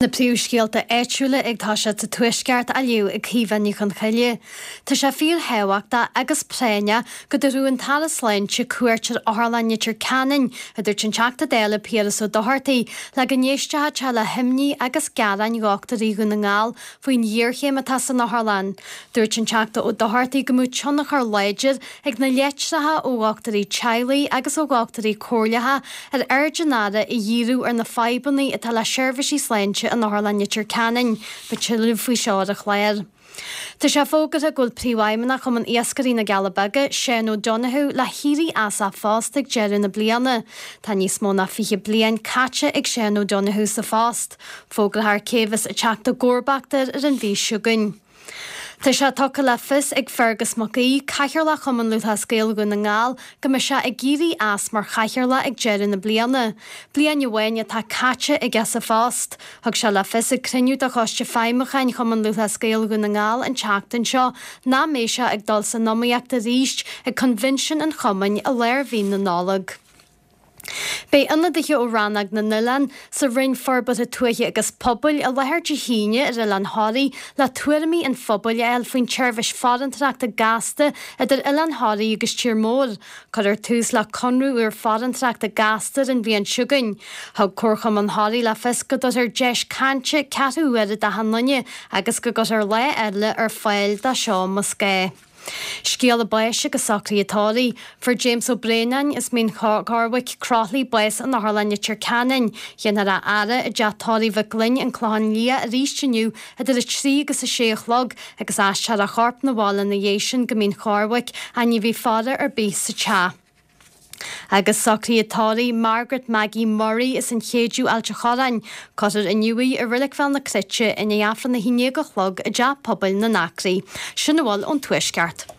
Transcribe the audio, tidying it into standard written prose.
Na príomhscéalta áitiúla ag toiseacht sa Tuaisceart á léamh ag Caoimhe Ní Chonchoille. Tá sé fíorthábhachtach agus práinneach go dtabharfadh an tAire Sláinte cuairt ar Otharlann Leitir Ceanainn, a dúirt an Teachta Dála Piaras Ó Dochartaigh, le go n-éistfeadh sé le himní agus gearáin dhochtúirí Dhún na nGall faoin ghéarchéim atá san otharlann. Dúirt an Teachta Ó Dochartaigh go mbeadh tionchar láidir ag na litreacha ó dhochtúirí teaghlaigh agus ó dhochtúirí comhairleacha ar aird an Aire a dhíriú ar na fadhbanna atá le seirbhísí sláinte in Otharlann Leitir Ceanainn. Beidh tuilleadh faoi seo ar an chlár. Tá sé fógartha go bhfuil Príomhfheidhmeannach Chumann Iascairí na gCealla Beaga, Seán O'Donoghue, le héirí as a phost ag deireadh na bliana. Tá níos mó ná 20 bliain caite ag Seán O'Donoghue sa phost. Fógrófar cé a bheas ag teacht i gcomharbacht air ar an mhí seo chugainn. Tá sé tugtha le fios ag Fergus Mac Aoidh, Cathaoirleach Chumann Lúthchleas Gael Dhún na nGall, go mbeidh sé ag éirí as mar chathaoirleach ag deireadh na bliana. Bliain amháin atá caite aige sa phost. Thug sé le fios ag cruinniú de Choiste Feidhmiúcháin Chumann Lúthchleas Gael Dhún na nGall an tseachtain seo nach mbeidh sé ag dul san iomaíocht arís ag coinbhinsiún an chumainn i lár mhí na Nollag. Beidh ionadaithe ó Rannóg na nOileán sa Roinn Forbartha Tuaithe agus Pobail i láthair Dé hAoine ar Oileán Thoraí le tuairimí an phobail a fháil faoin tseirbhís farantóireachta gasta idir Oileán Thoraí agus Tír Mór. Cuirfear tús le conradh úr farantóireachta gasta ar an bhliain seo chugainn. Thug Comharchumann Thoraí le fios go dtabharfar deis cainte ceathrú uaire d'achan duine agus go gcuirfear lá eile ar fáil dó seo más gá. Scéala báis agus socruithe tórraimh. Fuair James Ó Braonáin as Mín Chormhaic, Croithlí, bás in Otharlann Leitir Ceanainn. Déanfar a fhaire i dTeach Tórraimh Mhic Fhloinn, An Clochán Liath arís inniu idir 3 agus 6 a chlog agus aistreofar a chorp 'na bhaile ina dhiaidh sin go Mín Chormhaic ach ní bheidh faire ar bith sa teach. Agus socruithe tórraimh Margaret Maggie Murray as an Chéideadh, Ailt a' Chorráin. Cuirfear inniu í i Reilig Bhéal na Cruite i ndiaidh Aifreann a haon déag a chlog i dTeach Pobail na nAcraí. Sin a bhfuil ón Tuaisceart.